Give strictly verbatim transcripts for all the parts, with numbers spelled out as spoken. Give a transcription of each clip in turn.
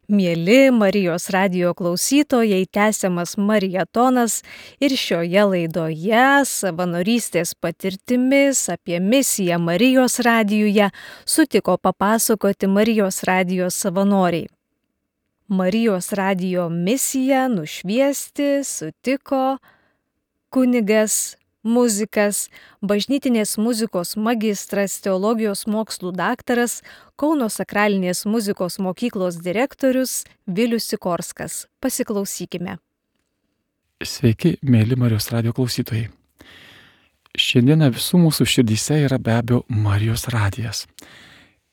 Mieli Marijos radijo klausytojai, tęsiamas marietonas ir šioje laidoje savanorystės patirtimis apie misiją Marijos radijuje sutiko papasakoti Marijos radijo savanoriai. Marijos radijo misiją nušviesti sutiko kunigas, muzikas, bažnytinės muzikos magistras, teologijos mokslų daktaras, Kauno sakralinės muzikos mokyklos direktorius Vilius Sikorskas. Pasiklausykime. Sveiki, mėly Marijos radijo klausytojai. Šiandieną visų mūsų širdyse yra be abejo Marijos radijas.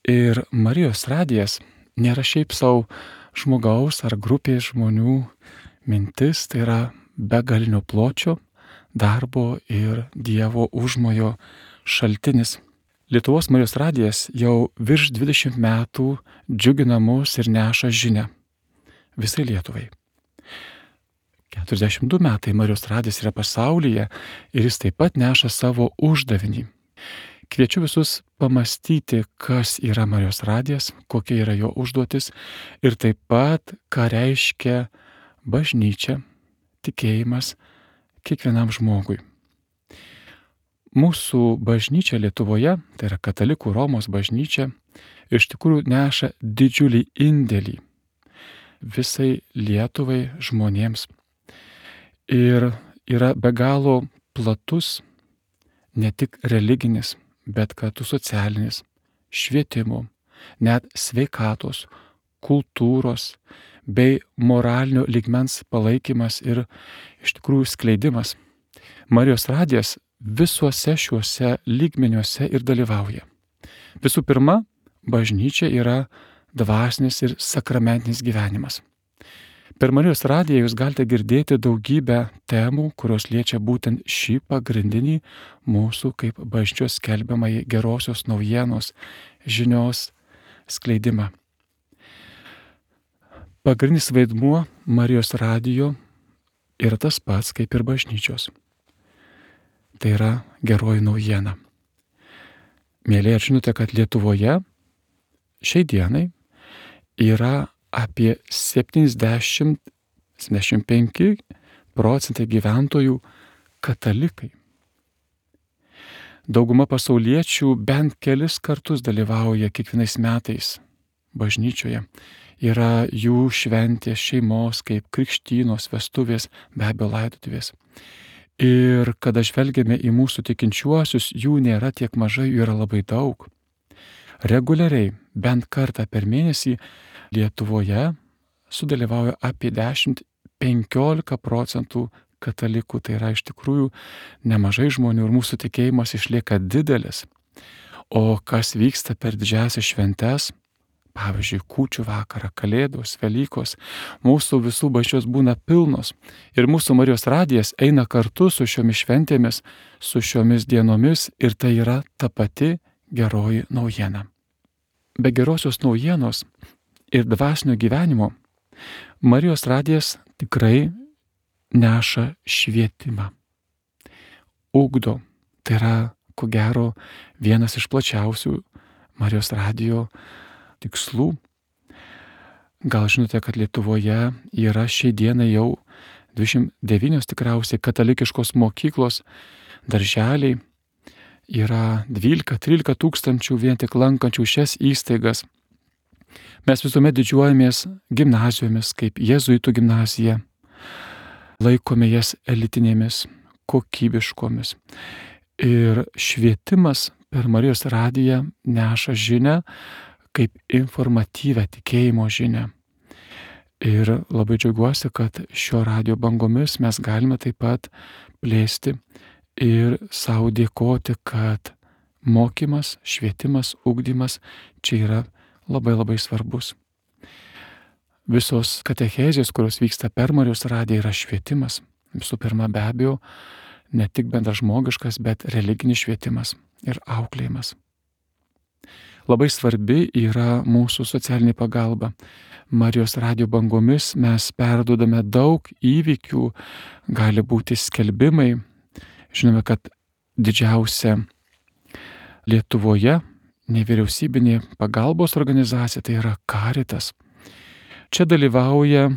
Ir Marijos radijas nėra šiaip savo žmogaus ar grupės žmonių mintis, tai yra begalinio pločio, darbo ir Dievo užmojo šaltinis. Lietuvos Marijos radijas jau virš dvidešimt metų džiugina mus ir neša žinią visai Lietuvai. keturiasdešimt du metai Marijos radijas yra pasaulyje ir jis taip pat neša savo uždavinį. Kviečiu visus pamastyti, kas yra Marijos radijas, kokia yra jo užduotis ir taip pat, ką reiškia bažnyčia, tikėjimas kiekvienam žmogui. Mūsų bažnyčia Lietuvoje, tai yra katalikų Romos bažnyčia, iš tikrųjų neša didžiulį indėlį visai Lietuvai žmonėms. Ir yra be galo platus, ne tik religinis, bet kartu socialinis, švietimo, net sveikatos, kultūros bei moralinio lygmens palaikymas ir iš tikrųjų skleidimas. Marijos radijas visuose šiuose lygmeniuose ir dalyvauja. Visų pirma, bažnyčia yra dvasinis ir sakramentinis gyvenimas. Per Marijos radiją jūs galite girdėti daugybę temų, kurios liečia būtent šį pagrindinį mūsų kaip bažnyčios skelbiamąjį gerosios naujienos žinios skleidimą. Pagrindinis vaidmuo Marijos radijo yra tas pats kaip ir bažnyčios. Tai yra geroji naujiena. Mėlyje, ar žinote, kad Lietuvoje šiai dienai yra apie septyniasdešimt iki septyniasdešimt penki procentai gyventojų katalikai. Dauguma pasauliečių bent kelis kartus dalyvauja kiekvienais metais bažnyčioje. Yra jų šventės šeimos, kaip krikštynos, vestuvės, be abejo laidotuvės. Ir kada žvelgiame į mūsų tikinčiuosius, jų nėra tiek mažai, jų yra labai daug. Reguliariai, bent kartą per mėnesį Lietuvoje sudalyvauja apie dešimt iki penkiolika procentų katalikų. Tai yra iš tikrųjų nemažai žmonių ir mūsų tikėjimas išlieka didelis. O kas vyksta per didžiąsias šventes, pavyzdžiui, kūčių vakarą, kalėdos, Velykos, mūsų visų bažnyčios būna pilnos. Ir mūsų Marijos radijas eina kartu su šiomis šventėmis, su šiomis dienomis ir tai yra ta pati geroji naujiena. Be gerosios naujienos ir dvasinio gyvenimo Marijos radijas tikrai neša švietimą. Ugdo, tai yra, ko gero, vienas iš plačiausių Marijos radijo tikslų. Gal žinote, kad Lietuvoje yra šiai dienai jau dvidešimt devynios tikriausiai katalikiškos mokyklos, darželiai, yra dvylika trylika tūkstančių vien tik lankančių šias įstaigas. Mes visuomet didžiuojamės gimnazijomis, kaip jėzuitų gimnazija, laikome jas elitinėmis, kokybiškomis. Ir švietimas per Marijos radiją neša žinią kaip informatyvę tikėjimo žinią. Ir labai džiaugiuosi, kad šio radijo bangomis mes galime taip pat plėsti ir savo dėkoti, kad mokymas, švietimas, ugdymas čia yra labai labai svarbus. Visos katechezės, kurios vyksta per Marijos radiją, yra švietimas. Visų pirma, be abejo, ne tik bendražmogiškas, bet religinis švietimas ir auklėjimas. Labai svarbi yra mūsų socialinė pagalba. Marijos radijo bangomis mes perduodame daug įvykių, gali būti skelbimai. Žinome, kad didžiausia Lietuvoje nevyriausybinė pagalbos organizacija tai yra Caritas. Čia dalyvauja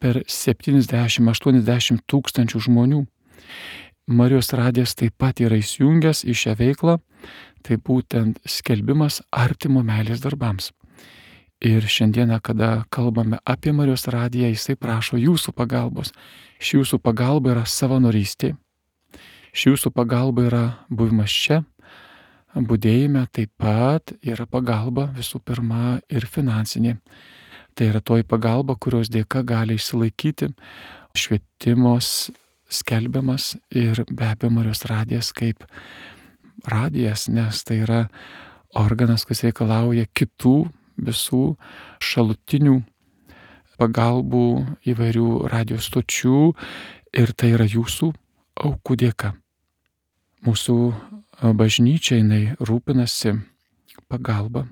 per septyniasdešimt aštuoniasdešimt tūkstančių žmonių. Marijos radijas taip pat yra įsijungęs į šią veiklą, tai būtent skelbimas artimo meilės darbams. Ir šiandieną, kada kalbame apie Marijos radiją, jisai prašo jūsų pagalbos. Ši jūsų pagalba yra savanorystė, ši jūsų pagalba yra buvimas čia, budėjime, taip pat yra pagalba visų pirma ir finansinė. Tai yra toji pagalba, kurios dėka gali išsilaikyti švietimos skelbiamas ir be abejo Marijos radijas kaip radijas, nes tai yra organas, kuris reikalauja kitų visų šalutinių pagalbų įvairių radijos stočių ir tai yra jūsų aukų dėka. Mūsų bažnyčia jinai rūpinasi pagalba,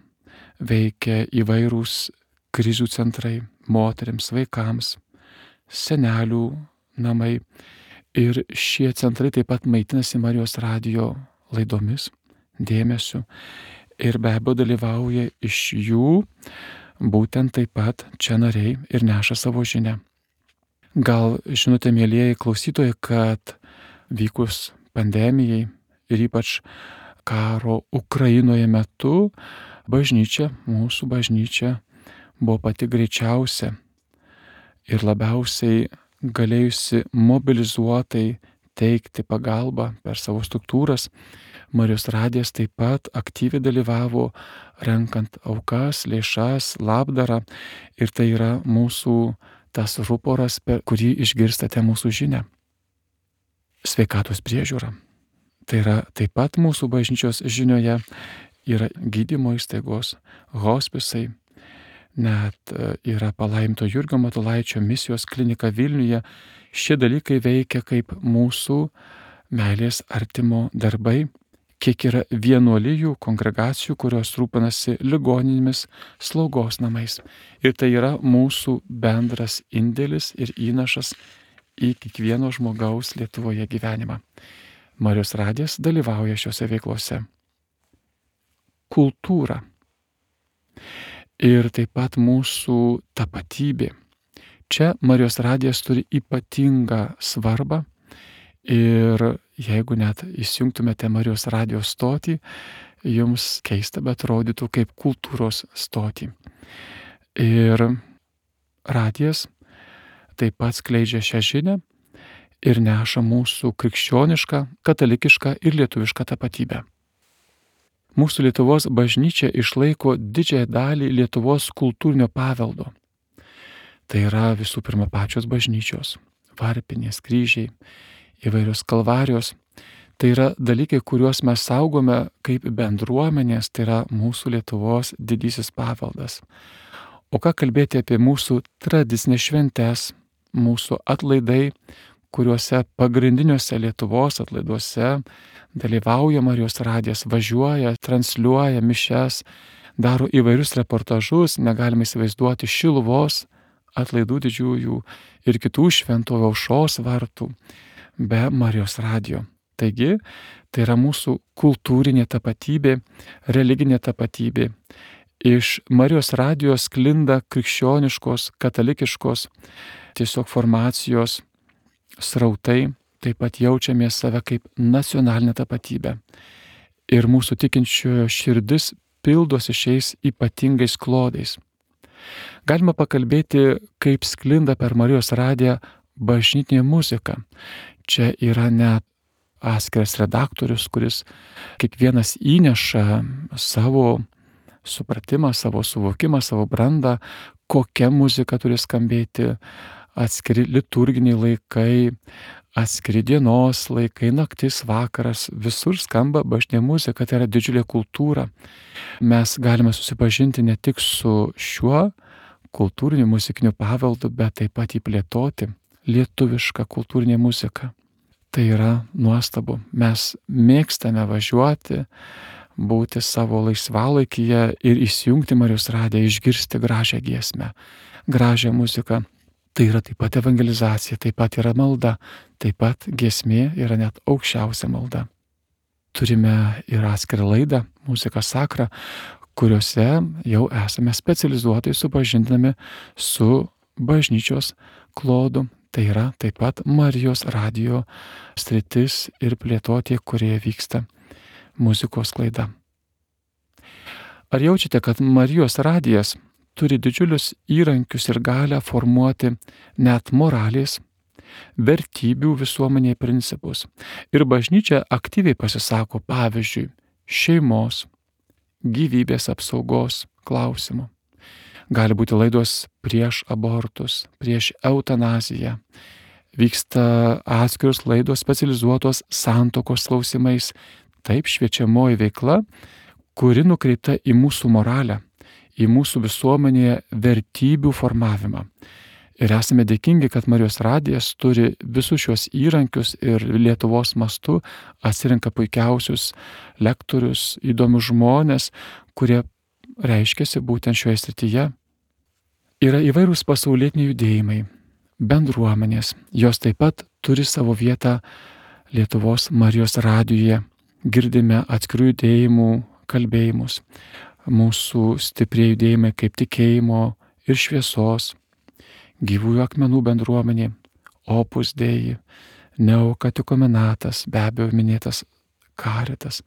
veikia įvairūs krizių centrai moteriams, vaikams, senelių namai ir šie centrai taip pat maitinasi Marijos radijo laidomis, dėmesiu ir be abejo dalyvauja iš jų būtent taip pat čia nariai ir neša savo žinią. Gal žinote, mielieji klausytojai, kad vykus pandemijai ir ypač karo Ukrainoje metu bažnyčia, mūsų bažnyčia buvo pati greičiausia ir labiausiai galėjusi mobilizuotai teikti pagalbą per savo struktūras. Marijos radijas taip pat aktyviai dalyvavo renkant aukas, lėšas, labdarą ir tai yra mūsų tas ruporas, per kurį išgirstate mūsų žinią. Sveikatos priežiūra. Tai yra taip pat mūsų bažnyčios žinioje yra gydymo įstaigos, hospisai, net yra palaiminto Jurgio Matulaičio misijos klinika Vilniuje. Šie dalykai veikia kaip mūsų meilės artimo darbai, kiek yra vienuolijų, kongregacijų, kurios rūpinasi ligoninėmis, slaugos namais. Ir tai yra mūsų bendras indėlis ir įnašas į kiekvieno žmogaus Lietuvoje gyvenimą. Marijos radijas dalyvauja šiuose veiklose. Kultūra. Ir taip pat mūsų tapatybė. Čia Marijos radijas turi ypatingą svarbą ir jeigu net įsijungtumėte Marijos radijo stotį, jums keista, bet rodytų kaip kultūros stotį. Ir radijas taip pat skleidžia šią žinią ir neša mūsų krikščionišką, katalikišką ir lietuvišką tapatybę. Mūsų Lietuvos bažnyčia išlaiko didžiąją dalį Lietuvos kultūrinio paveldo. Tai yra visų pirma pačios bažnyčios, varpinės, kryžiai, įvairios kalvarijos. Tai yra dalykai, kuriuos mes saugome kaip bendruomenės, tai yra mūsų Lietuvos didysis paveldas. O ką kalbėti apie mūsų tradicinės šventes, mūsų atlaidai, kuriuose pagrindiniuose Lietuvos atlaiduose dalyvauja Marijos radijas, važiuoja, transliuoja mišias, daro įvairius reportažus, negalime įsivaizduoti Šiluvos atlaidų didžiųjų ir kitų šventovių aušros vartų be Marijos radijo. Taigi, tai yra mūsų kultūrinė tapatybė, religinė tapatybė. Iš Marijos radijo sklinda krikščioniškos, katalikiškos tiesiog formacijos srautai, taip pat jaučiame save kaip nacionalinę tapatybę. Ir mūsų tikinčiojo širdis pildosi šiais ypatingais klodais. Galima pakalbėti, kaip sklinda per Marijos radiją bažnytinė muzika. Čia yra net atskiras redaktorius, kuris kiekvienas įneša savo supratimą, savo suvokimą, savo brandą, kokia muzika turi skambėti, atskiri liturginiai laikai, atskiri dienos laikai, naktis, vakaras, visur skamba bažnytinė muzika, tai yra didžiulė kultūra. Mes galime susipažinti ne tik su šiuo kultūriniu muzikiniu paveldu, bet taip pat įplėtoti lietuvišką kultūrinę muziką. Tai yra nuostabu. Mes mėgstame važiuoti, būti savo laisvalaikyje ir įsijungti Marijos radiją, išgirsti gražią giesmę, gražią muziką. Tai yra taip pat evangelizacija, taip pat yra malda, taip pat giesmė yra net aukščiausia malda. Turime ir atskirą laidą, Muzika Sakra, kuriuose jau esame specializuotai supažindinami su bažnyčios klodu. Tai yra taip pat Marijos radijo sritis ir plėtotė, kurioje vyksta muzikos sklaida. Ar jaučiate, kad Marijos radijas turi didžiulius įrankius ir galę formuoti net moralės, vertybių visuomenėje principus? Ir bažnyčia aktyviai pasisako, pavyzdžiui, šeimos, gyvybės apsaugos klausimų. Gali būti laidos prieš abortus, prieš eutanaziją. Vyksta atskiros laidos specializuotos santuokos klausimais. Taip šviečiamoji veikla, kuri nukreipta į mūsų moralę, į mūsų visuomenėje vertybių formavimą. Ir esame dėkingi, kad Marijos radijas turi visus šios įrankius ir Lietuvos mastu atsirenka puikiausius lektorius, įdomius žmonės, kurie reiškiasi būtent šioje srityje. Yra įvairūs pasaulietiniai judėjimai, bendruomenės, jos taip pat turi savo vietą Lietuvos Marijos radijuje. Girdime atskirų judėjimų kalbėjimus, mūsų stiprieji judėjimai kaip tikėjimo ir šviesos, gyvųjų akmenų bendruomenė, Opus Dei, Neokatikumenatas, be abejo minėtas Karitas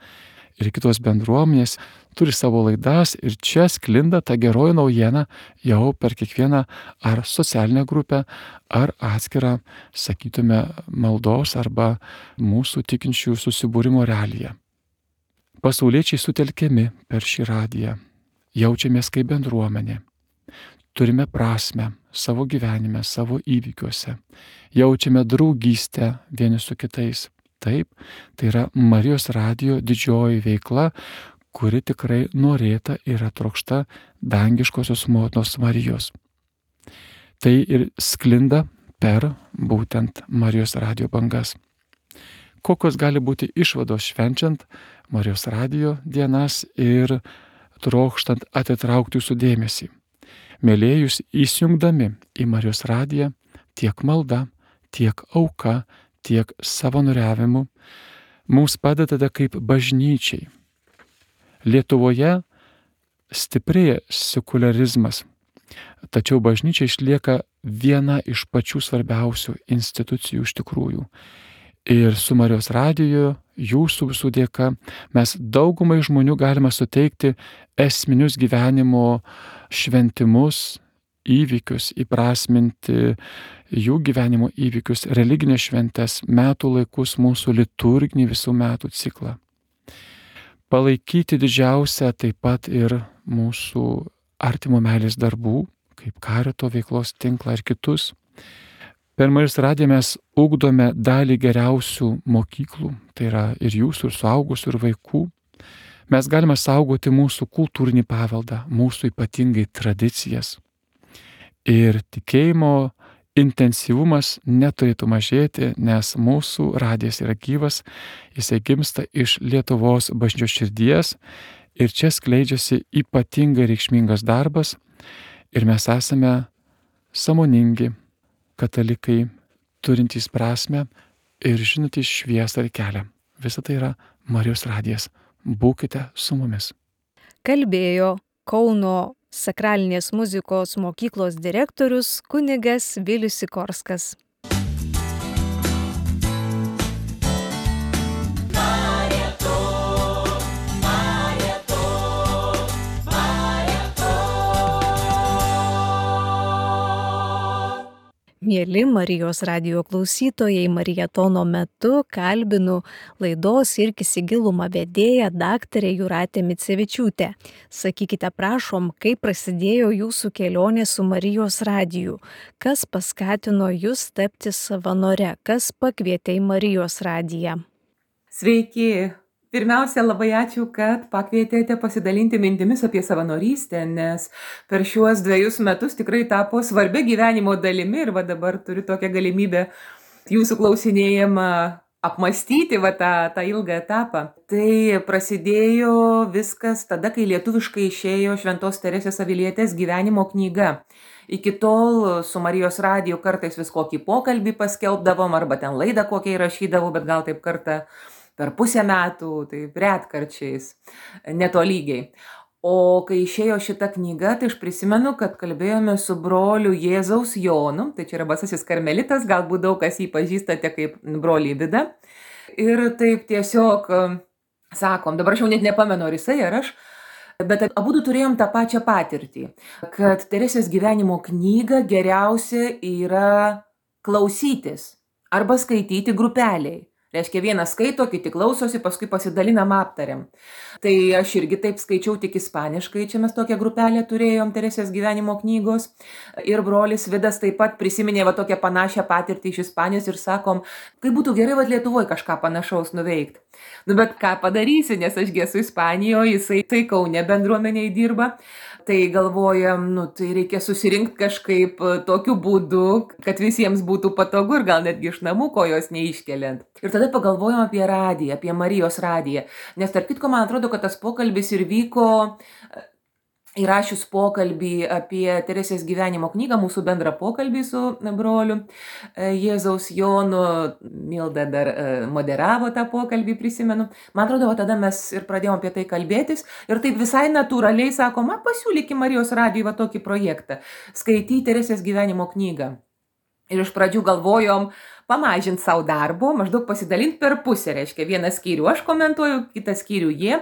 ir kitos bendruomenės turi savo laidas ir čia sklinda ta geroji naujiena jau per kiekvieną ar socialinę grupę, ar atskirą, sakytume, maldos arba mūsų tikinčių susibūrimo realiją. Pasauliečiai sutelkiami per šį radiją, jaučiamės kaip bendruomenė, turime prasmę savo gyvenime, savo įvykiuose, jaučiame draugystę vieni su kitais. Taip, tai yra Marijos radijo didžioji veikla, kuri tikrai norėta ir trokšta dangiškosios motinos Marijos. Tai ir sklinda per būtent Marijos radijo bangas. Kokios gali būti išvados švenčiant Marijos radijo dienas ir trokštant atitraukti jūsų dėmesį? Mėlėjus įsijungdami į Marijos radiją tiek malda, tiek auka, tiek savanoriavimu mums padedate kaip bažnyčiai. Lietuvoje stiprėja sekularizmas, tačiau bažnyčia išlieka viena iš pačių svarbiausių institucijų iš tikrųjų. Ir su Marijos radiju, jūsų visų dėka, mes daugumai žmonių galime suteikti esminius gyvenimo šventimus, įvykius, įprasminti jų gyvenimo įvykius, religinės šventes, metų laikus, mūsų liturginį visų metų ciklą. Palaikyti didžiausią taip pat ir mūsų artimo meilės darbų, kaip Karito veiklos tinklą ir kitus. Per Marijos radiją mes ugdome dalį geriausių mokyklų, tai yra ir jūsų, ir suaugusių, ir vaikų. Mes galime saugoti mūsų kultūrinį paveldą, mūsų ypatingai tradicijas. Ir tikėjimo intensyvumas neturėtų mažėti, nes mūsų radijas yra gyvas, jisai gimsta iš Lietuvos bažnyčios širdies ir čia skleidžiasi ypatingai reikšmingas darbas ir mes esame sąmoningi katalikai, turintys prasmę ir žinantys šviesą ir kelią. Visa tai yra Marijos radijas. Būkite su mumis. Kalbėjo Kauno sakralinės muzikos mokyklos direktorius kunigas Vilius Sikorskas. Mėly Marijos radijo klausytojai, Marietono metu kalbinu laidos Irkis į gilumą vedėją daktarę Jūratę Micevičiūtę. Sakykite, prašom, kaip prasidėjo jūsų kelionė su Marijos radiju? Kas paskatino jūs tapti savanore? Kas pakvietė į Marijos radiją? Sveiki! Pirmiausia, labai ačiū, kad pakvietėte pasidalinti mintimis apie savanorystę, nes per šiuos dviejus metus tikrai tapo svarbia gyvenimo dalimi ir va dabar turiu tokią galimybę jūsų klausinėjimą apmastyti va tą, tą ilgą etapą. Tai prasidėjo viskas tada, kai lietuviškai išėjo Šventos Teresės Avilietės gyvenimo knyga. Iki tol su Marijos radiju kartais vis kokį pokalbį paskelbdavom arba ten laidą kokią įrašydavau, bet gal taip kartą per pusę metų, tai retkarčiais, netolygiai. O kai išėjo šita knyga, tai aš prisimenu, kad kalbėjome su broliu Jėzaus Jonu, tai čia yra Basasis karmelitas, galbūt daug kas jį pažįstate kaip brolį Vidą. Ir taip tiesiog sakom, dabar aš jau net nepamenu, ar jisai ar aš, bet abudu turėjom tą pačią patirtį, kad Teresės gyvenimo knygą geriausia yra klausytis arba skaityti grupeliai. Reiškia, vienas skaito, kiti klausosi, paskui pasidalinam, aptariam. Tai aš irgi taip skaičiau tik ispaniškai, čia mes tokią grupelę turėjom Teresės gyvenimo knygos. Ir brolis Vidas taip pat prisiminė va tokią panašią patirtį iš Ispanijos ir sakom, kaip būtų gerai va Lietuvoje kažką panašaus nuveikti. Nu bet ką padarysi, nes aš esu Ispanijoje, jisai tai Kaune bendruomeniai dirba. Tai galvojam, nu, tai reikia susirinkti kažkaip tokiu būdu, kad visiems būtų patogu ir gal netgi iš namų kojos neiškeliant. Ir tada pagalvojom apie radiją, apie Marijos radiją. Nes tarp kitko, man atrodo, kad tas pokalbis ir vyko įrašius pokalbį apie Teresės gyvenimo knygą, mūsų bendrą pokalbį su broliu Jėzaus Jonu. Milda dar moderavo tą pokalbį, prisimenu. Man atrodo, tada mes ir pradėjom apie tai kalbėtis. Ir taip visai natūraliai sakom, pasiūlykim Marijos radijui va tokį projektą. Skaityti Teresės gyvenimo knygą. Ir iš pradžių galvojom pamažinti savo darbo, maždaug pasidalinti per pusę, reiškia, vieną skyrių aš komentuoju, kitą skyrių jie.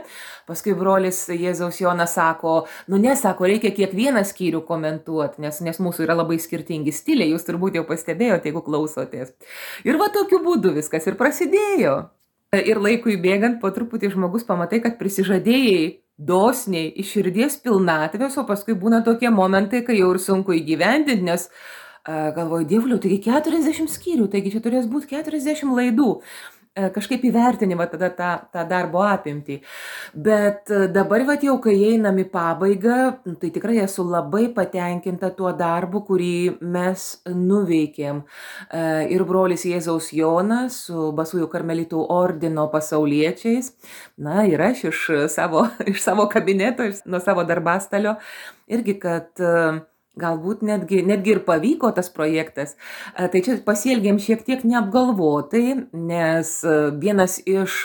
Paskui brolis Jėzaus Jonas sako, nu nesako, reikia kiekvieną skyrių komentuoti, nes, nes mūsų yra labai skirtingi stiliai, jūs turbūt jau pastebėjote, jeigu klausotės. Ir va tokiu būdu viskas ir prasidėjo. Ir laikui bėgant po truputį žmogus pamatai, kad prisižadėjai dosniai iš širdies pilnatvės, o paskui būna tokie momentai, kai jau ir sunku įgyvendinti, nes galvoju, dievuliau, taigi keturiasdešimt skyrių, taigi čia turės būti keturiasdešimt laidų. Kažkaip įvertinimą tada tą, tą darbo apimtį. Bet dabar, va, jau kai einam į pabaigą, tai tikrai esu labai patenkinta tuo darbu, kurį mes nuveikėm. Ir brolis Jėzaus Jonas su Basųjų karmelitų ordino pasauliečiais, na ir aš iš savo, iš savo kabineto, iš, nuo savo darbastalio, irgi, kad galbūt netgi, netgi ir pavyko tas projektas. Tai čia pasielgėm šiek tiek neapgalvotai, nes vienas iš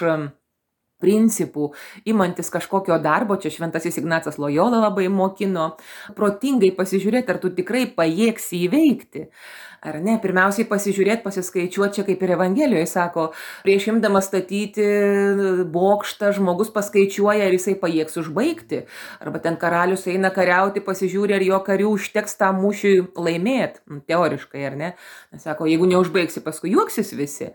principų, imantis kažkokio darbo, čia šventasis Ignacas Lojola labai mokino, protingai pasižiūrėti, ar tu tikrai pajėgsi įveikti. Ar ne? Pirmiausiai pasižiūrėti, pasiskaičiuoti, čia kaip ir Evangelijoje sako, prieš imdamas statyti bokštą, žmogus paskaičiuoja, ar jisai pajėgs užbaigti. Arba ten karalius eina kariauti, pasižiūri, ar jo karių užteks tam mūšiui laimėti. Teoriškai, ar ne? Nes sako, jeigu neužbaigsi, paskui juoksis visi.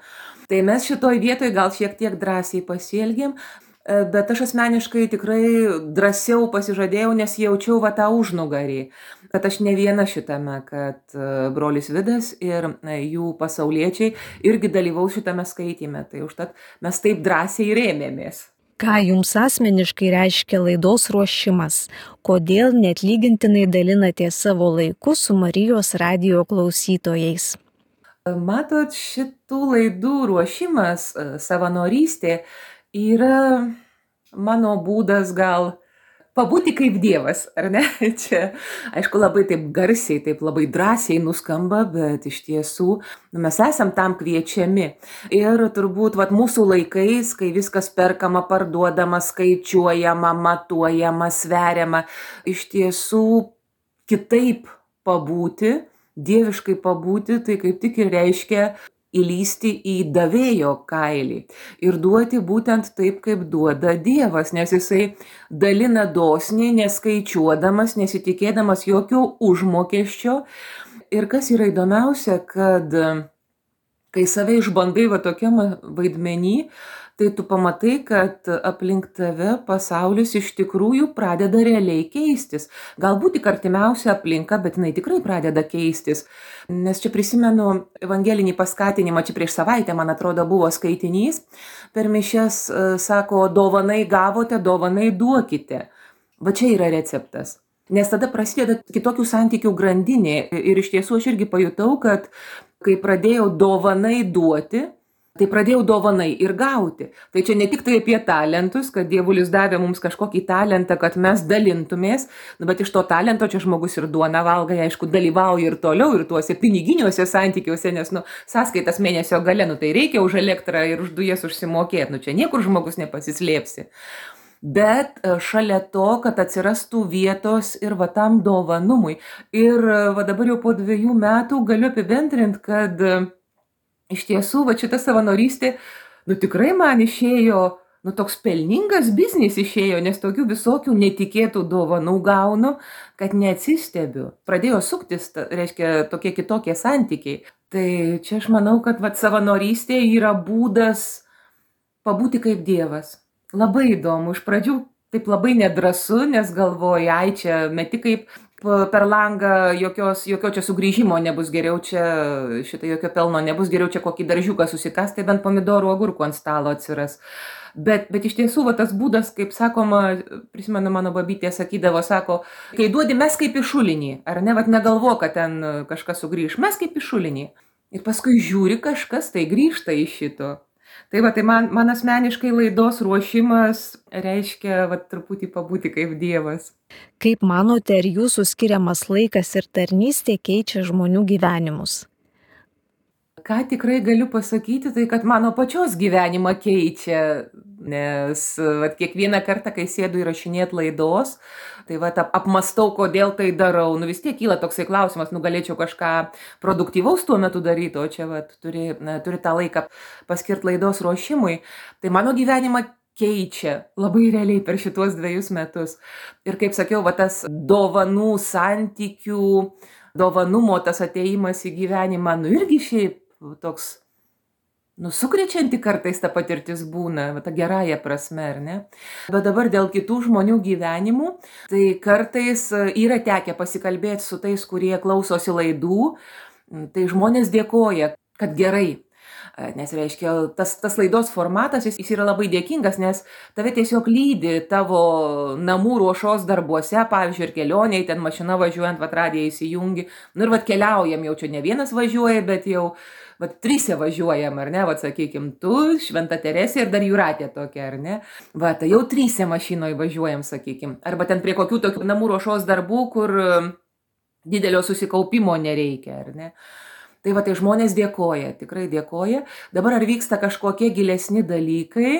Tai mes šitoj vietoj gal šiek tiek drąsiai pasielgėm, bet aš asmeniškai tikrai drąsiau pasižadėjau, nes jaučiau va tą užnugarį, kad aš ne viena šitame, kad brolis Vidas ir jų pasauliečiai irgi dalyvaus šitame skaityme. Tai užtat mes taip drąsiai rėmėmės. Ką jums asmeniškai reiškia laidos ruošimas? Kodėl neatlygintinai dalinatės savo laiku su Marijos radijo klausytojais? Matot, šitų laidų ruošimas, savanorystė, yra mano būdas gal pabūti kaip Dievas, ar ne? Čia, aišku, labai taip garsiai, taip labai drąsiai nuskamba, bet iš tiesų mes esam tam kviečiami. Ir turbūt vat, mūsų laikais, kai viskas perkama, parduodama, skaičiuojama, matuojama, sveriama, iš tiesų kitaip pabūti, dieviškai pabūti, tai kaip tik ir reiškia įlysti į davėjo kailį ir duoti būtent taip, kaip duoda Dievas, nes jisai dalina dosniai, neskaičiuodamas, nesitikėdamas jokio užmokesčio. Ir kas yra įdomiausia, kad kai save išbandai va tokiam vaidmenį, tai tu pamatai, kad aplink tave pasaulis iš tikrųjų pradeda realiai keistis. Galbūt tik artimiausia aplinka, bet jinai tikrai pradeda keistis. Nes čia prisimenu evangelinį paskatinimą, čia prieš savaitę, man atrodo, buvo skaitinys. Per mišias sako, dovanai gavote, dovanai duokite. Va čia yra receptas. Nes tada prasideda kitokių santykių grandinė. Ir iš tiesų aš irgi pajutau, kad kai pradėjau dovanai duoti, tai pradėjau dovanai ir gauti. Tai čia ne tik tai apie talentus, kad Dievulis davė mums kažkokį talentą, kad mes dalintumės, bet iš to talento čia žmogus ir duoną valgai, aišku, dalyvauja ir toliau, ir tuose piniginiuose santykiuose, nes, nu, sąskaitas mėnesio gale, nu, tai reikia už elektrą ir už dujas užsimokėti, nu, čia niekur žmogus nepasislėpsi. bet šalia to, kad atsirastų vietos ir va tam dovanumui. Ir va dabar jau po dviejų metų galiu apibendrinti, kad iš tiesų va šita savanorystė, nu tikrai man išėjo, nu toks pelningas biznis išėjo, nes tokių visokių netikėtų dovanų gaunu, kad neatsistebiu. Pradėjo suktis, reiškia, tokie kitokie santykiai. Tai čia aš manau, kad va savanorystė yra būdas pabūti kaip Dievas. Labai įdomu. Iš pradžių taip labai nedrąsu, nes galvoju, ai čia meti kaip per langą, jokios, jokio čia sugrįžimo nebus, geriau čia, šitą jokio pelno nebus, geriau čia kokį daržiuką susikas, tai bent pomidorų agurkų ant stalo atsiras. Bet, bet iš tiesų va, tas būdas, kaip sakoma, prisimenu, mano babytė sakydavo, sako, kai duodi mes kaip į šulinį, ar ne, vat negalvo, kad ten kažkas sugrįž, mes kaip į šulinį. Ir paskui žiūri kažkas, tai grįžta iš šito. Tai va, tai man, man asmeniškai laidos ruošimas reiškia va, truputį pabūti kaip Dievas. Kaip manote, ar jūsų skiriamas laikas ir tarnystė keičia žmonių gyvenimus? Ką tikrai galiu pasakyti, tai kad mano pačios gyvenimą keičia, nes va, kiekvieną kartą, kai sėdu įrašinėti laidos, tai va, apmastau, kodėl tai darau. Nu vis tiek kyla toksai klausimas, nu galėčiau kažką produktyvaus tuo metu daryti, o čia va, turi, na, turi tą laiką paskirti laidos ruošimui. Tai mano gyvenimą keičia labai realiai per šituos dviejus metus. Ir kaip sakiau, va, tas dovanų santykių, dovanumo tas ateimas į gyvenimą, nu irgi šiaip toks, nu, sukrečianti kartais ta patirtis būna, ta gerąja prasme, ar ne? Bet dabar dėl kitų žmonių gyvenimų, tai kartais yra tekę pasikalbėti su tais, kurie klausosi laidų, tai žmonės dėkoja, kad gerai. Nes reiškia, tas, tas laidos formatas, jis, jis yra labai dėkingas, nes tave tiesiog lydi tavo namų ruošos darbuose, pavyzdžiui, ir kelioniai, ten mašina važiuojant, vat radiją įsijungi, nu ir vat keliaujam, jau čia ne vienas važiuoja, bet jau vat trise važiuojam, ar ne, vat sakykim, tu, Šventa Teresė ir dar Jūratė tokia, ar ne, vat jau trise mašinoje važiuojam, sakykim, arba ten prie kokių tokių namų ruošos darbų, kur didelio susikaupimo nereikia, ar ne. Tai va, tai žmonės dėkoja, tikrai dėkoja. Dabar ar vyksta kažkokie gilesni dalykai?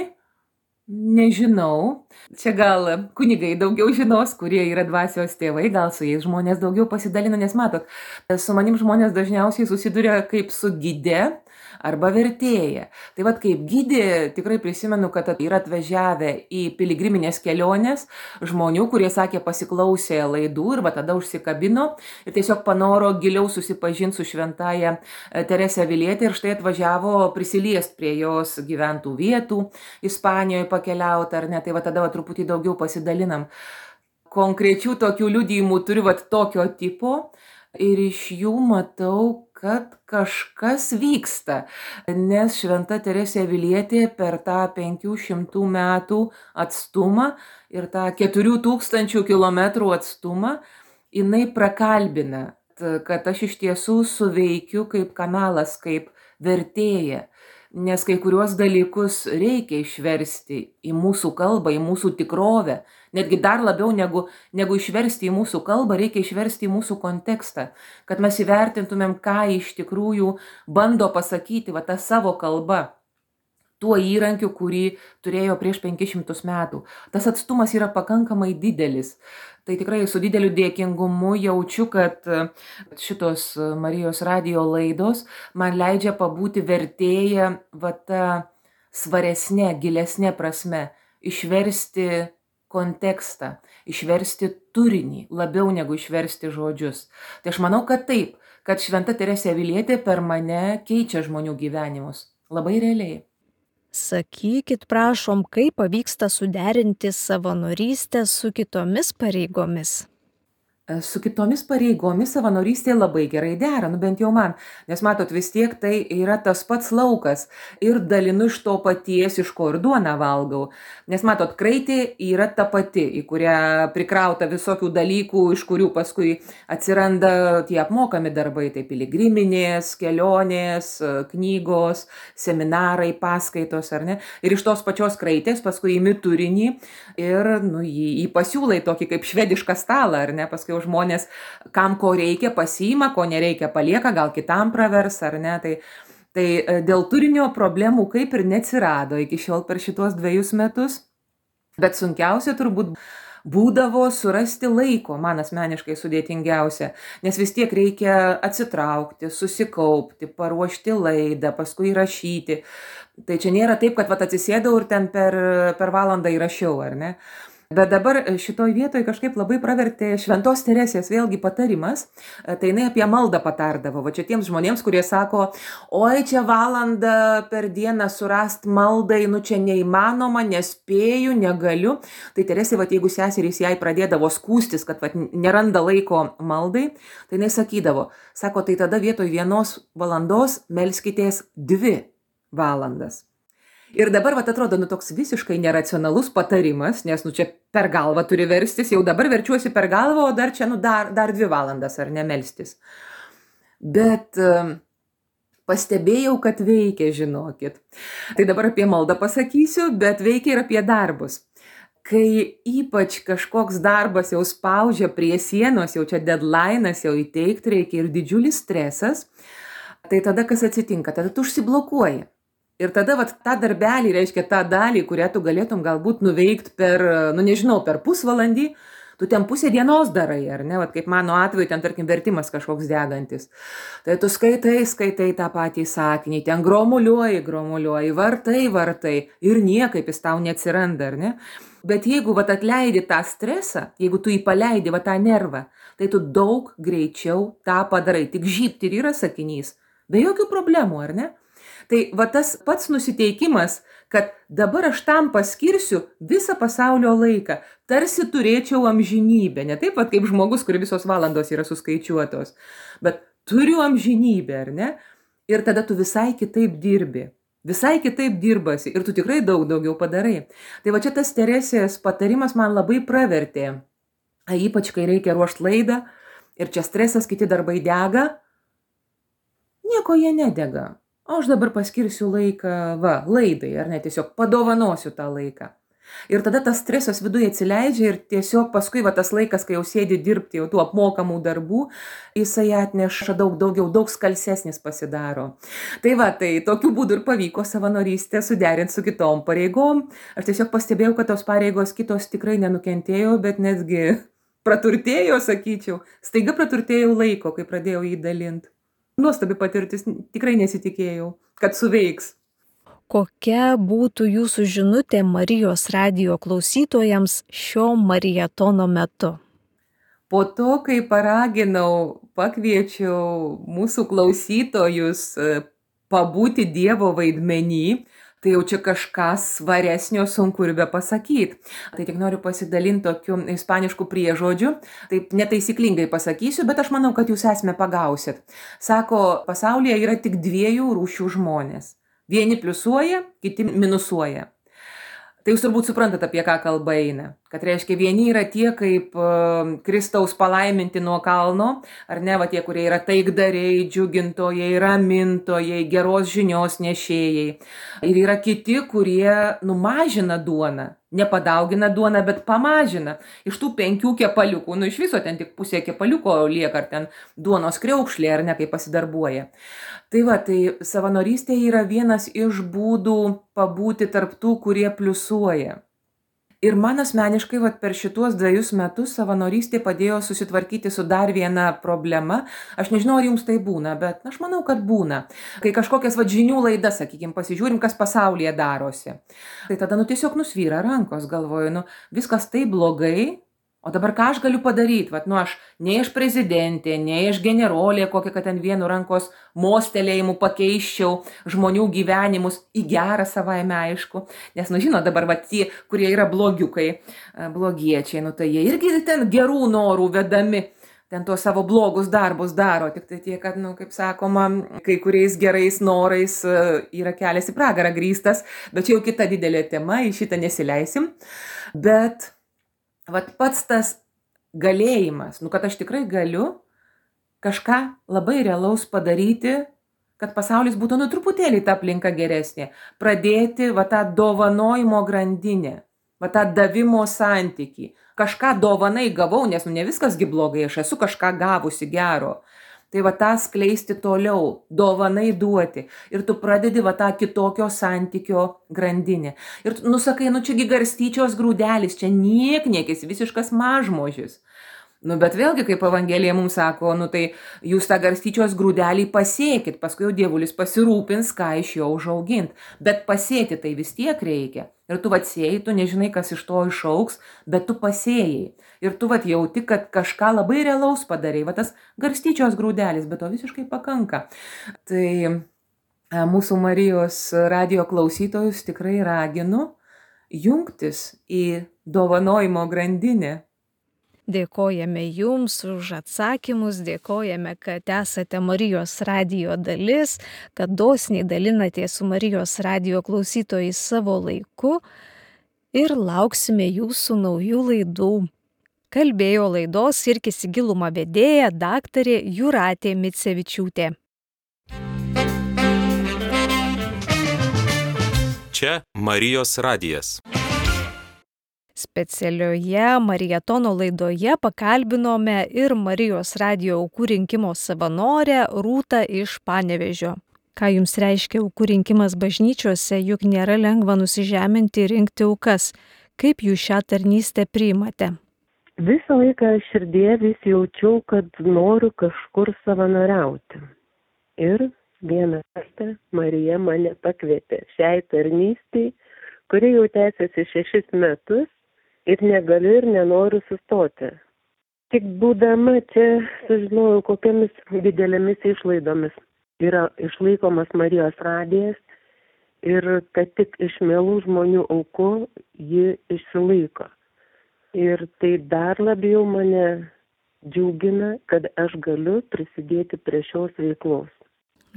Nežinau. Čia gal kunigai daugiau žinos, kurie yra dvasios tėvai, gal su jais žmonės daugiau pasidalina, nes matot, su manim žmonės dažniausiai susiduria kaip su gide arba vertėja. Tai vad kaip gidė, tikrai prisimenu, kad yra atvažiavę į piligriminės kelionės žmonių, kurie sakė pasiklausė laidų ir va tada užsikabino ir tiesiog panoro giliau susipažinti su šventaja Terese Avilietė ir štai atvažiavo prisiliest prie jos gyventų vietų, Ispanijoje pakeliauti ar ne, tai va tada va truputį daugiau pasidalinam. Konkrečių tokių liudijimų turiu va tokio tipo ir iš jų matau, kad kažkas vyksta, nes šventa Teresė Avilietė per tą penkių šimtų metų atstumą ir tą keturių tūkstančių kilometrų atstumą, jinai prakalbina, kad aš iš tiesų suveikiu kaip kanalas, kaip vertėja, nes kai kuriuos dalykus reikia išversti į mūsų kalbą, į mūsų tikrovę. Netgi dar labiau negu, negu išversti į mūsų kalbą, reikia išversti į mūsų kontekstą, kad mes įvertintumėm, ką iš tikrųjų bando pasakyti va tą savo kalbą, tuo įrankiu, kurį turėjo prieš penkis šimtus metų. Tas atstumas yra pakankamai didelis. Tai tikrai su dideliu dėkingumu jaučiu, kad šitos Marijos radijo laidos man leidžia pabūti vertėja va tą svaresnė, gilesnė prasme, išversti kontekstą, išversti turinį, labiau negu išversti žodžius. Tai aš manau, kad taip, kad šventa Teresė Avilietė per mane keičia žmonių gyvenimus. Labai realiai. Sakykit, prašom, kaip pavyksta suderinti savanorystę su kitomis pareigomis? Su kitomis pareigomis savanorystė labai gerai dera, nu bent jau man, nes matot, vis tiek tai yra tas pats laukas ir dalinu iš to paties, iš ko ir duoną valgau. Nes matot, kraitė yra ta pati, į kurią prikrauta visokių dalykų, iš kurių paskui atsiranda tie apmokami darbai, tai piligriminės, kelionės, knygos, seminarai, paskaitos, ar ne. Ir iš tos pačios kraitės paskui imi turinį ir nu, jį, jį pasiūlai tokį kaip švedišką stalą, ar ne, paskui žmonės, kam ko reikia, pasiima, ko nereikia, palieka, gal kitam pravers, ar ne. Tai, tai dėl turinio problemų kaip ir neatsirado iki šiol per šitos dviejus metus. Bet sunkiausia turbūt būdavo surasti laiko, man asmeniškai sudėtingiausia, nes vis tiek reikia atsitraukti, susikaupti, paruošti laidą, paskui įrašyti. Tai čia nėra taip, kad vat, atsisėdau ir ten per, per valandą įrašiau, ar ne? Bet dabar šitoj vietoj kažkaip labai pravertė Šventos Teresės vėlgi patarimas, tai jinai apie maldą patardavo. Va čia tiems žmonėms, kurie sako, oi čia valandą per dieną surast maldai, nu čia neįmanoma, nespėju, negaliu. Tai Teresė, va jeigu seserys jai pradėdavo skūstis, kad va, neranda laiko maldai, tai jinai sakydavo, sako, tai tada vietoj vienos valandos melskitės dvi valandas. Ir dabar, vat, atrodo, nu toks visiškai neracionalus patarimas, nes, nu, čia per galvą turi verstis, jau dabar verčiuosi per galvą, o dar čia, nu, dar, dar dvi valandas, ar ne, melstis. Bet um, pastebėjau, kad veikia, žinokit. Tai dabar apie maldą pasakysiu, bet veikia ir apie darbus. Kai ypač kažkoks darbas jau spaudžia prie sienos, jau čia deadline'as, jau įteikti reikia ir didžiulis stresas, tai tada kas atsitinka, tada tu užsiblokuoji. Ir tada vat, tą darbelį, reiškia tą dalį, kurią tu galėtum galbūt nuveikti per, nu nežinau, per pusvalandį, tu ten pusę dienos darai, ar ne, vat, kaip mano atveju, ten tarkim vertimas kažkoks degantis. Tai tu skaitai, skaitai tą patį sakinį, ten gromuliuoji, gromuliuoji, vartai, vartai ir niekaip jis tau neatsiranda, ar ne? Bet jeigu vat, atleidi tą stresą, jeigu tu jį paleidi vat, tą nervą, tai tu daug greičiau tą padarai, tik žybt ir yra sakinys, be jokių problemų, ar ne? Tai va tas pats nusiteikimas, kad dabar aš tam paskirsiu visą pasaulio laiką, tarsi turėčiau amžinybę, ne taip pat kaip žmogus, kur visos valandos yra suskaičiuotos, bet turiu amžinybę, ar ne? Ir tada tu visai kitaip dirbi, visai kitaip dirbasi ir tu tikrai daug daugiau padarai. Tai va čia tas Teresės patarimas man labai pravertė, ypač kai reikia ruošti laidą ir čia stresas, kiti darbai dega, nieko jie nedega. O aš dabar paskirsiu laiką, va, laidai, ar ne, tiesiog padovanosiu tą laiką. Ir tada tas stresas viduje atsileidžia ir tiesiog paskui va tas laikas, kai jau sėdi dirbti jau tų apmokamų darbų, jisai atneša daug daugiau, daug skalsesnis pasidaro. Tai va, tai tokiu būdu ir pavyko savanorystę suderinti su kitom pareigom. Aš tiesiog pastebėjau, kad tos pareigos kitos tikrai nenukentėjo, bet netgi praturtėjo, sakyčiau. Staiga praturtėjau laiko, kai pradėjau jį dalinti. Nuostabi patirtis, tikrai nesitikėjau, kad suveiks. Kokia būtų jūsų žinutė Marijos radijo klausytojams šio marietono metu? Po to, kai paraginau, pakviečiau mūsų klausytojus pabūti Dievo vaidmenį, tai jau čia kažką svaresnio sunku ir be pasakyti. Tai tik noriu pasidalinti tokiu ispanišku priežodžiu, taip netaisyklingai pasakysiu, bet aš manau, kad jūs esmę pagausit. Sako, pasaulyje yra tik dviejų rūšių žmonės. Vieni pliusuoja, kiti minusuoja. Tai jūs turbūt suprantat, apie ką kalba eina. Kad reiškia, vieni yra tie kaip uh, Kristaus palaiminti nuo kalno, ar ne, va tie, kurie yra taikdariai, džiugintojai, ramintojai, geros žinios nešėjai. Ir yra kiti, kurie numažina duoną, nepadaugina duoną, bet pamažina. Iš tų penkių kepaliukų, nu iš viso ten tik pusė kepaliuko lieka, ar ten duonos kriaukšlė, ar ne, kaip pasidarbuoja. Tai va, tai savanorystė yra vienas iš būdų pabūti tarp tų, kurie pliusuoja. Ir man asmeniškai vat, per šituos dviejus metus savanorystė padėjo susitvarkyti su dar viena problema. Aš nežinau, ar jums tai būna, bet aš manau, kad būna. Kai kažkokias vat, žinių laidas, sakykime, pasižiūrim, kas pasaulyje darosi. Tai tada nu, tiesiog nusvyra rankos, galvoju, nu, viskas taip blogai. O dabar ką aš galiu padaryti? Vat, nu, aš nei aš prezidentė, nei aš generolė, kokią, kad ten vienu rankos mostelėjimu pakeiščiau žmonių gyvenimus į gerą savaime, aišku. Nes, nu, žinot, dabar vat, tie, kurie yra blogiukai, blogiečiai, nu, tai jie irgi ten gerų norų vedami, ten tuos savo blogus darbus daro. Tik tai tie, kad, nu, kaip sakoma, kai kuriais gerais norais yra kelias į pragarą grįstas, bet čia jau kita didelė tema, į šitą nesileisim. Bet vat pats tas galėjimas, nu, kad aš tikrai galiu kažką labai realaus padaryti, kad pasaulis būtų nu truputėlį ta aplinka geresnė. Pradėti va tą dovanojimo grandinę, va tą davimo santykį. Kažką dovanai gavau, nes nu ne viskasgi blogai, aš esu kažką gavusi gero. Tai va tą skleisti toliau, dovanai duoti. Ir tu pradedi va tą kitokio santykio grandinę. Ir tu nusakai, nu čiagi garstyčios grūdelis, čia niekniekis, visiškas mažmožis. Nu, bet vėlgi, kaip Evangelija mums sako, nu tai jūs tą garstyčios grūdelį pasėkit, paskui jau dievulis pasirūpins, ką iš jo užaugint. Bet pasėti tai vis tiek reikia. Ir tu atsėjai, tu nežinai, kas iš to išaugs, bet tu pasėjai. Ir tu vat jauti, kad kažką labai realaus padarai, va tas garstyčios grūdelis, bet to visiškai pakanka. Tai mūsų Marijos radijo klausytojus tikrai raginu jungtis į dovanojimo grandinę. Dėkojame Jums už atsakymus, dėkojame, kad esate Marijos radijo dalis, kad dosniai dalinatės su Marijos radijo klausytojais savo laiku ir lauksime Jūsų naujų laidų. Kalbėjo laidos Irkis į gilumą vedėja daktarė Jūratė Micevičiūtė. Čia Marijos radijas. Specialioje Marietono laidoje pakalbinome ir Marijos radijo aukų rinkimo savanorę Rūtą iš Panevėžio. Ką jums reiškia aukų rinkimas bažnyčiose, juk nėra lengva nusižeminti ir rinkti aukas. Kaip jūs šią tarnystę priimate? Visą laiką širdie vis jaučiau, kad noriu kažkur savanoriauti. Ir vieną kartą Marija mane pakvietė šiai tarnystei, kuri jau tęsiasi šešis metus. Ir negaliu ir nenoriu sustoti. Tik būdama čia sužinojau, kokiamis didelėmis išlaidomis yra išlaikomas Marijos radijas ir kad tik iš mielų žmonių aukų ji išsilaiko. Ir tai dar labiau mane džiugina, kad aš galiu prisidėti prie šios veiklos.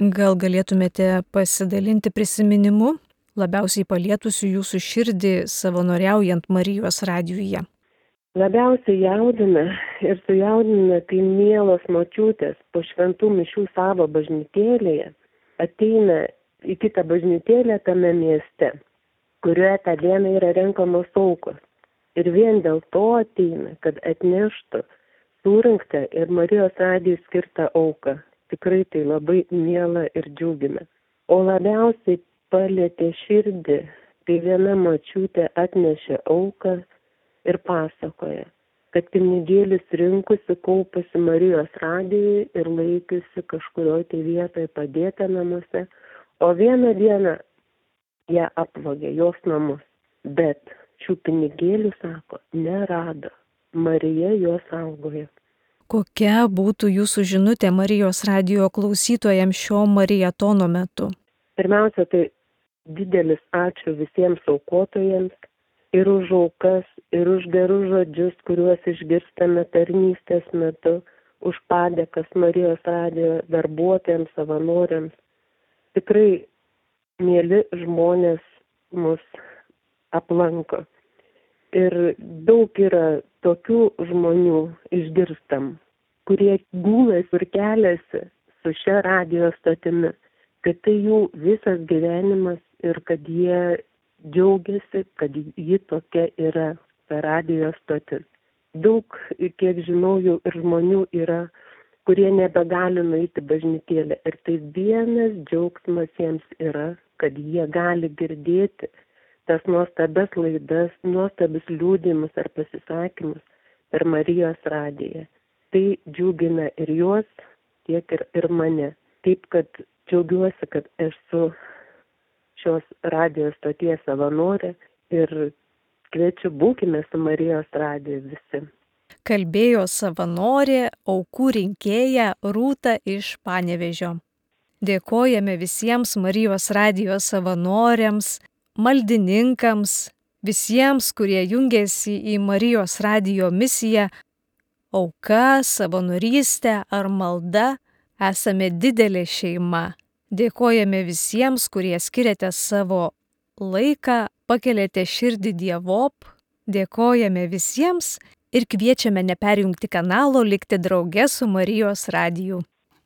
Gal galėtumėte pasidalinti prisiminimu labiausiai palietusių jūsų širdį savanoriaujant Marijos radijuje? Labiausiai jaudina ir sujaudina, kai mielos močiutės po šventų mišių savo bažnytėlėje ateina į kitą bažnytėlę tame mieste, kurioje tą dieną yra renkamos aukos. Ir vien dėl to ateina, kad atneštų surinktą ir Marijos radijui skirtą auką. Tikrai tai labai miela ir džiugina. O labiausiai palietė širdį, kai viena močiutė atnešė auką ir pasakoja, kad pinigėlis rinkusi, kaupusi Marijos radijui ir laikiusi kažkurioje tai vietoje padėta namuose, o vieną dieną ją apvogė jos namus. Bet šių pinigėlių, sako, nerado. Marija juos saugojo. Kokia būtų jūsų žinutė Marijos radijo klausytojams šio Marietono metu? Pirmiausia, tai didelis ačiū visiems aukotojams ir už aukas, ir už gerus žodžius, kuriuos išgirstame tarnystės metu, už padėkas Marijos radijo darbuotojams, savanoriams. Tikrai mieli žmonės mus aplanko. Ir daug yra tokių žmonių išgirstam, kurie gūlasi ir keliasi su šia radijo stotimi, kad tai jų visas gyvenimas ir kad jie džiaugiasi, kad ji tokia yra per radijo stotis. Daug, kiek žinau, jau ir žmonių yra, kurie nebegali nueiti bažnytėlę. Ir tai vienas džiaugsmas jiems yra, kad jie gali girdėti tas nuostabias laidas, nuostabius liudijimus ar pasisakymus per Marijos radiją. Tai džiugina ir juos, tiek ir, ir mane. Taip, kad džiaugiuosi, kad esu šios radijos stoties savanorė ir kviečiu, būkime su Marijos radiju visi. Kalbėjo savanorė, aukų rinkėja Rūta iš Panevėžio. Dėkojame visiems Marijos radijo savanoriams, maldininkams, visiems, kurie jungiasi į Marijos radijo misiją. Auka, savanorystė ar malda, esame didelė šeima. Dėkojame visiems, kurie skiriate savo laiką, pakeliate širdį Dievop. Dėkojame visiems ir kviečiame neperjungti kanalo, likti drauge su Marijos radiju.